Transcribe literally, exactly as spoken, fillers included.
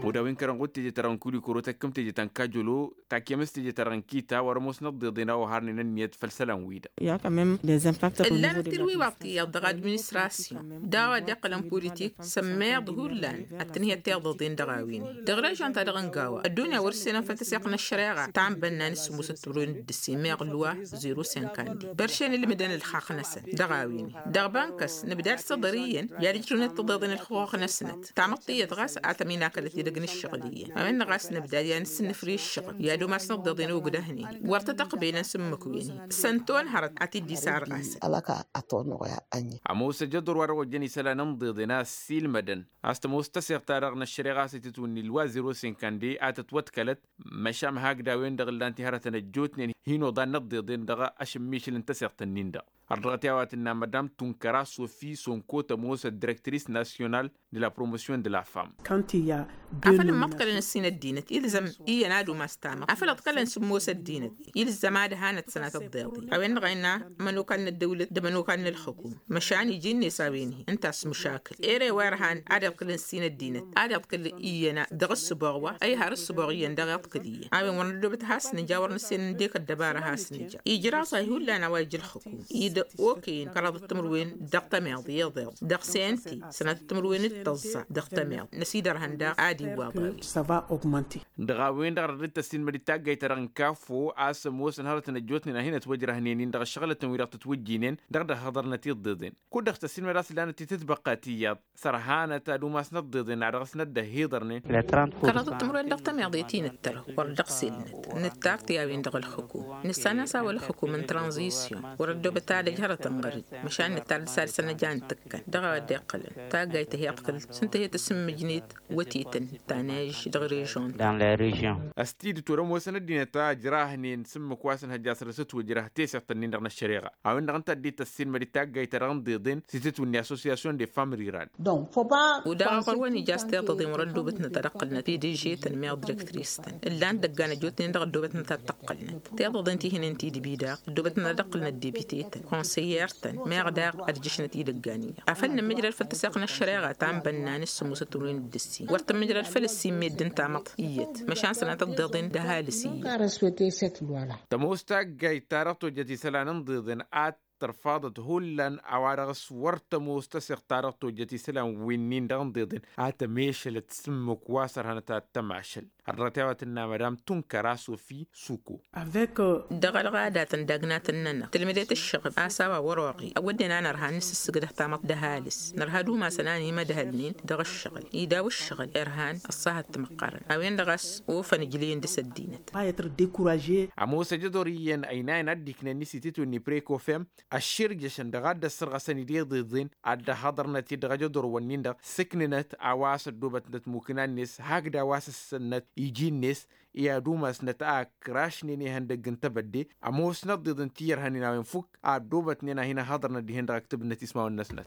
Oda wi n-kărăn ɣud teje-ta-dăɣ n-kulikoro tăkkăm teje ta n-kajolo takyăm s-teje-ta-dăɣ n-kita wăr-ămoosnăt d-iḍen a oharnen ǝnniyăt făll-isălan-wi-dăɣ. Ǝllanăt tilwiwaḍ tiyyăḍ dăɣ-administrasyon d-a-wa dd-iqqălăn politik sămmeḍ hullan ad-tǝnhǝyăt tiḍăḍen dăɣ-a-wen-i dăɣ-režyon-ta-dăɣ n-gawa ăddunya wăr-ǝssenăn făll-tăseɣt n-ăššăreɣa ta n-bănnan s-sǝmmusăt timǝrwen d-ǝssin meɣ lwa zero senkandi băršen ǝlmǝdăn ǝlxaqq-năsăn dăɣ-a-wen-i dăɣ-bănkăs nǝbdad s-iḍăr iyyăn i-ad-ǝjrǝwnăt tiḍeḍen ǝlxuxuxnăsnăt tamăḍt tiyyăt ɣas a tăminakălăt idăgg n-ǝššăɣǝl iyyăn a-wen-dăɣ a-s nǝbdad i-ad-nǝsǝnnǝfri ǝššăɣǝl i-ad-umasnăt tiḍeḍen ogdăhnen wăr tăt-ăqbelăn s-ǝmmǝk-wen-hi s-ănton hărăt ad-t-dd-isarɣasăn. Ămoos ăjăḍur wa dăɣ-ojjăn isălan n-iḍeḍen a ăssiilmădăn a-s tămoos tăseɣt-ta-dăɣ n-ăššăreɣa a-s itǝtwǝnni ǝlwa zero senkandi a tătwăḍkălăt măšan hak d-a-wen-dăɣ ǝllan-t i-hărătăn ăjjootnen hin-oḍan n-iḍeḍen dăɣ-ašǝmmišǝl n-tăseɣt-nin-dăɣ. Ărdăɣăt i-a-wa tǝnna madam tunkăra sofi sonko tămoos ăddirektris nasyonal de la promosyon de la fam. Afăl ǝmmăḍkălăn ǝssin ăddinăt ilzăm iyyăn ad-umas tamăḍt afăl ǝḍkălăn sǝmmos ăddinăt ilzăm ad-hanăt sănatăt d-iḍen a-wen-dăɣ a innă ămănokal n-ăddăwlăt d-ămănokal n-ălxǝkum măšan iji-net a-wen-hi ǝnta a-s măšakǝl ere wa irhan ad-iḍkǝlăn ǝssin ăddinăt ad-iḍkǝl iyyăn dăɣ-ǝssǝboɣ wa ăyhar ǝssǝboɣ iyyăn dăɣ-iḍkǝl iyyăn a-wen wăr năddobăt has-nǝja wăr nǝssen ǝndek ăddăbara has-nǝja ijraẓ a-i hullan a-wa ija ǝlxǝkum id-okăyăn kăraḍăt timǝrwen dăɣ-tămiḍ iḍeḍ dăɣ-sente sănatăt timǝrwen d-tăẓẓa dăɣ-tămiḍ năsidărhăn daɣ ad-iwwaḍ a-wen. Dăɣ-a-wen-dăɣ dăr-dd-tăssilmăd-dd taggayt-ta-dăɣ n-kafo a-s ămoosăn hărătăn ăjjootnen a hin-ătwăjrăhnen-in dăɣ-ǝššăɣǝlătăn-wi-dăɣ tătwǝjjinen dăɣ-dd-ăhhăḍărnăt iḍeḍen kud-dăɣ tăssilmăd a-s lanăt-t-tǝtbăqqa tiyyăḍ sărhanăt ad-umasnăt d-iḍen a dăɣ-s năddăhhiḍărnen. Kăraḍăt timǝrwen dăɣ-tămiḍe ti nǝttărăw wăr dăɣ-selnăt nǝttar-t i-a-wen dăɣ-ălxǝkum nǝssan a-s a-wa ălxǝkum n-tranzisyon wăr-ăddoobăt ad-ăj hărătăn ɣăr-dd măšan nǝttar d-salsăn ăj a ǝntǝkkăn dăɣ-a wa dd-iqqălăn taggayt-hi iḍkǝl s-ǝnta hi-tǝsǝmmǝjnet wătetăn tanăj dăɣ-režon. Ăstidǝt wăr-ămoosăn ăddinăt a ǝjrahnen s-ǝmmǝk wa s-ǝnhăjja săr-s ǝtwǝjrăh teseɣt-nin-dăɣ n-ăššăreɣa a-wen-dăɣ ǝnta a dd-tăssilmăd d-taggayt-ta-dăɣ n-deḍen s-itǝtwǝnni associasyon de fam riral. Udaɣ ɣur-wăn ija a-s tiḍăḍen wăr-ăddoobătnăt ad-ăqqǝlnăt pdž-tăn meɣ direktris-tăn ǝllan-t dăggan ăjjootnen dăɣ-ăddoobătnăt ad-t-ăqqǝlnăt tiḍăḍen ti hǝnen tidǝbi daɣ ăddoobătnăt ad-ăqqǝlnăt debite-tăn konsăyer-tăn meɣ daɣ ad-ǝjjǝšnăt idăggan-i-dăɣ afăl nǝmmǝjrăd făll-tăseɣt n-ăššăreɣa ta n-bănnan s-sǝmmusăt timǝrwen d-ǝssin wăr tǝmmǝjrăd făll-ǝssin meddǝn tamăḍt iyyăt măšan sănatăt d-iḍen d-ăhalǝs iyyăt. Tămoos taggayt-ta-dăɣ tojjăt isălan n-iḍeḍen ad-tărfaḍăt hullan a-wa-dăɣ s-wăr tămoos tăseɣt-ta-dăɣ tojjăt isălan wi-nin-dăɣ n-iḍeḍen a tămešălăt s-ǝmmǝk wa s-ărhănăt ad-tămašăl. Ărrăt i-a-wa tǝnna madam tunkăra sofi suko. Dăɣ-ălɣadatăn d-agnatăn-nănăɣ tǝlmǝdet ǝššăɣǝl a-s a-wa wăr-oɣi ăwwădden a nărha n-nǝsǝssǝgdăh tamăḍt d-ăhalǝs nărha d-umasăn a n-imădhălnen dăɣ-ǝššăɣǝl idaw ǝššăɣǝl irhan ăṣṣahăt timǝqqărăn a-wen-dăɣ a-s ofăn ǝjleyăn dăɣ-s ăddinăt. Ămoos ăjăḍor iyyăn ăynayăn ad-dd-iknăn i-sititwǝnni prekofem ăšširjăšăn dăɣ-ad-dd-ăssărɣăsăn ideḍeḍen ad-dd-ăhhăḍărnăt-dd dăɣ-ejăḍorwăn-nin-dăɣ sǝknǝnăt a-wa s-ăddoobătnăt mukǝna-net hakd a-wa s-ǝssănnăt iji-net i-ad-umasnăt a ǝkrašnen ihăndăgg n-tebădde. Ămoosnăt d-iḍen ti ijărhănen a-wen fukk a ăddoobătnen a hin-ăhhăḍărnăt dihen dăɣ-ăktǝbnăt ismawăn-năsnăt.